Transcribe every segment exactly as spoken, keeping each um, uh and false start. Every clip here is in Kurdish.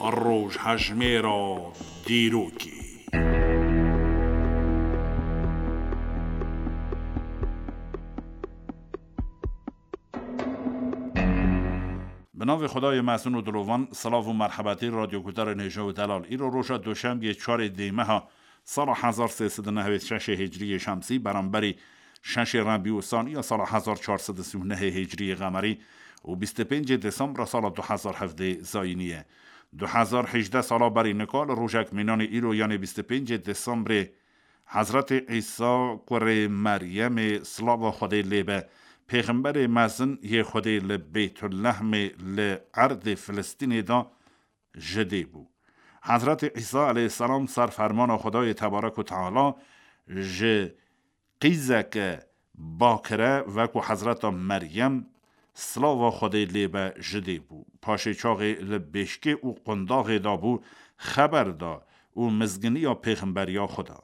Rojhejmêra dîrokê. Bi navê Xwedayê mezin û dilovan, silav û merhebetî radyoguhdarên hêja û delal. Îro roja doşembiyê çarê dê meha sala hezar sê sed û nehwêd şeşê hicriyê şemsî, beramberî şeşê Rebî û Saniya sala hezar çar sed û sî û nehê hicriyê qemerî û bîst û pêncê Desembra sala du hezar hevdê zayînî ye. Du hezar hejdeh sala berî nika li rojek mînanê îro, yanê bîst û pêncê Desembrê, Hezretê Îsa kurê Meryemê, silava Xwedê lê be, pêxemberê mezin yê Xwedê li Beytulehmê li erdê Filistînê de ji dê bû. Hezretê Îsa aleyhisselam ser fermana Xwedayê Tebarek û Teala ji qîzeke bakire, wekû Hezreta Meryem, silava Xwedê lê be, ji dê bû. Paşê çaxê li bêşkê û qundaxê de bû, xeber da û mizginiya pêxemberiya xwe da.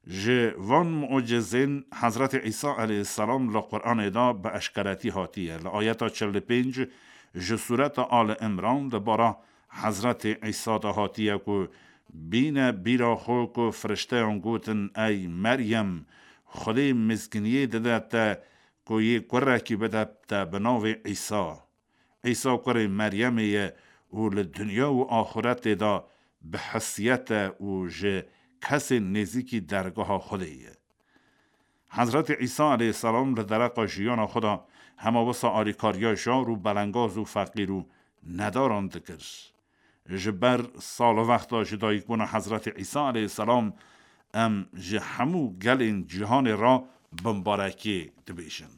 Ji van mucizên Hezretê Îsa aleyhisselam li Quranê de bi eşkeretî hatiye. Li ayeta çil û pênc ji Sureta Ali Imran di bara Hezretê Îsa de hatiye ku bîne bîra xwe ku firişteyan gotin, Ey Meryem, Xwedê mizginiyê dide te ku yê kurekî bide te bi navê Îsa. Îsa kurê Meryemê ye û li dinya û axuretê de bi hesiyet e û ji kesên nêzîkî dergaha Xwedê ye. Hezretê Îsa aleyhisselam li dereqa jiyana xwe de hema wisa alîkariya jar û belengaz û feqîr û nedaran dikir. Ji ber salvexta ji dayikbûna Hezretê Îsa aleyhisselam em ji hemû gelên cîhanê re bimbarekê dibêjin.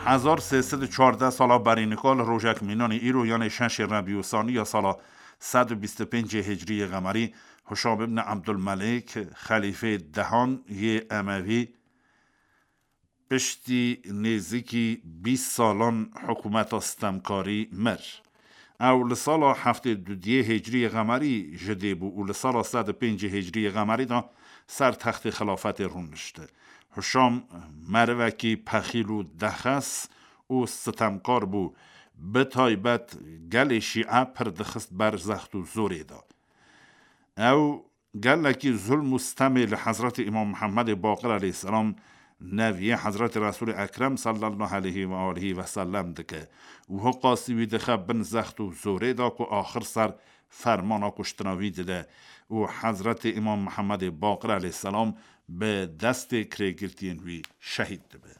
Hezar sê sed û çardeh sala berî nika li rojek mînanî îro, yanê şeşê Rebî û Saniya sala sed û bîst û pêncê Hicriyê Qemerî, Hişam ibn Ebdulmelîk, xelîfê dehan yê Emevî, piştî nêzîkî bîst salan hikûmeta stemkarî mir. Ew li sala heftê û duyê Hicriyê Qemerî ji dê bû û li sala sed û pêncê Hicriyê Qemerî de ser textê xilafetê rûnişt. Hişam merivekî pexîl û dexes û sitemkar bû, bi taybet gelê şîe pir dixist ber zext û zorê de. Ew gelekî zulm û stemê li Hezretî Îmam Mihemmedê Baqir aleyhisselam, neviyê Hezretî Resûlê Ekrem sallallahu aleyhi ve aleyhi ve sellem dike û hiqasî wî dixe bin zext û zorê de ku axir ser fermana kuştina wî dide û Hezretî Îmam Mihemmedê Baqir aleyhisselam bi destê kirêgirtiyên wî şehîd dibe.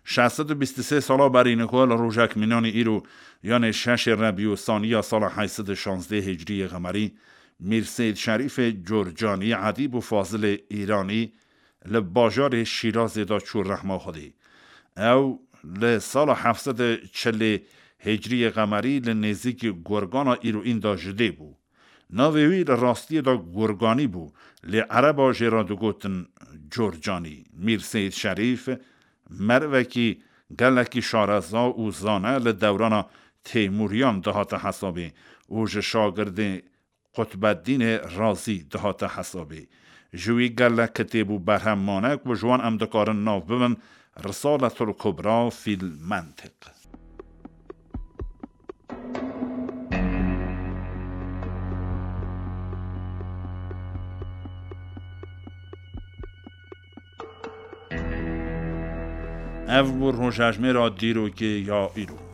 Şeş sed û bîst û sê sala berî niko li rojek mînanî îro, yanê şeşê Rebî û Saniya sala heşt sed û şazdeh Hicriyê Qemerî, Mîr Seyîd Şerîfê Corcanî, edîb û fazilê Îranî, li bajarê Şîrazê de çû rehma Xwedê. Ew li sala heft sed û çilê Hicriyê Qemerî li nêzîkî Gurgana îroîn de ji dê bû. Navê wî li rastiyê de Gurganî bû, lê Ereba jê re digotin Corcanî. Mîr Seyîd Şerîf merivekî gelekî şareza û zane li dewrana Teymûriyan dihate hesabê û ji şagirdê Qutbeddînê Razî dihate hesabê. Ji wî gelek kitêb û berhem mane ku ji wan em dikarin nav bibin Risaletul Kubra fîl Mentiq. Ev bû rojejmêra dîrokê ya îro.